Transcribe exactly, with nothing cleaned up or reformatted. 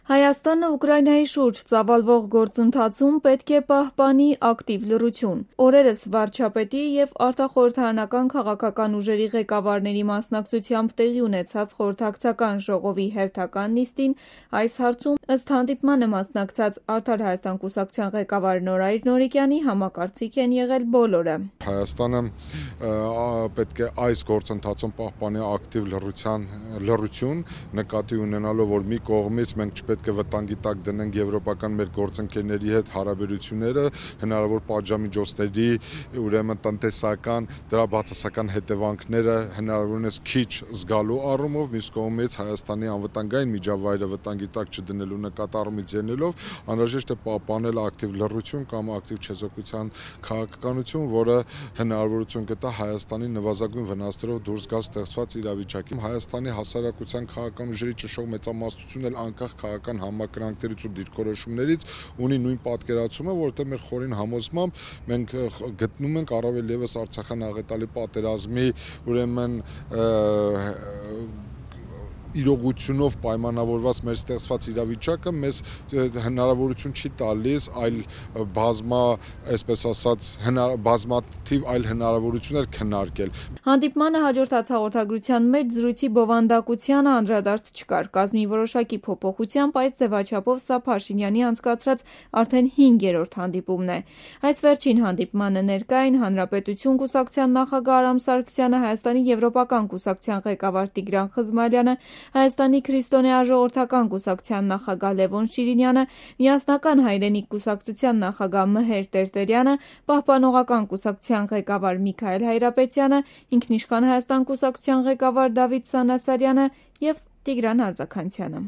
Հայաստանը Ուկրաինայի շուրջ ծավալվող գործընթացում պետք է պահպանի ակտիվ լռություն։ Օրերս վարչապետի և արտախորհրդարանական քաղաքական ուժերի ղեկավարների մասնակցությամբ տեղի ունեցած խորհրդակցական ժողովի հերթական նիստին այս հարցում ըստ հանդիպմանը մասնակցած Արդար Հայաստան կուսակցության ղեկավար Նորայր Նորիկյանի համակարծիք են եղել բոլորը։ Հայաստանը պետք է այս գործընթացում պահպանի ակտիվ լռության լռություն, նկատի ունենալով, որ մի կողմից մենք չպետք է վտանգի տակ դնենք եվրոպական մեր գործընկերների հետ հարաբերությունները, հնարավոր պատժամիջոցների, ուրեմն տնտեսական, դրա բացասական հետևանքները հնարավորինս քիչ զգալու առումով, մյուս կողմից Հայաստանի անվտանգային միջավայրը վտանգի տակ չդնելու նկատառումից ելնելով անհրաժեշտ է պահպանել ակտիվ լռություն կամ ակտիվ չեզոքության քաղաքականություն, որը հնարավորություն կտա Հայաստանի նվազագույն վնասներով դուրս գալ ստեղծված իրավիճակից։ Հայաստանի հասարակության քաղաքական ուժերի ճնշող մեծամասնությունն էլ անկախ քաղաքական համակրանքներից ու դիրքորոշումներից ունի նույն պատկերացումը, որովհետև մեր խորին համոզմամբ մենք գտնում ենք առավել ևս Արցախյան աղետալի պատերազմի ուրեմն իրողությունով պայմանավորված մեր ստեղծված իրավիճակը մեզ հնարավորություն չի տալիս այլ բազմա, այսպես ասած, բազմաթիվ այլ հնարավորություններ քննարկել։ Հանդիպմանը հաջորդած հաղորդագրության մեջ զրույցի բովանդակությանը անդրադարձ չկար։ Կազմի որոշակի փոփոխությամբ այս ձևաչափով սա Փաշինյանի անցկացրած արդեն հինգերորդ հանդիպումն է։ Այս վերջին հանդիպմանը ներկա էին Հանրապետություն կուսակցության նախագահ Արամ Սարգսյանը, Հայաստանի եվրոպական կուսակցության ղեկավար Տիգրան Խզմարյանը, Հայաստանի քրիստոնեաժողովրդական կուսակցության նախագահ Լևոն Շիրինյանը, Միասնական հայրենիք կուսակցության նախագահ Մհեր Տերտերյանը, Պահպանողական կուսակցության ղեկավար Միքայել Հայրապետյանը, Ինքնիշխան Հայաստան կուսակցության ղեկավար Դավիթ Սանասարյանը և Տիգրան Արձաքանցյանը։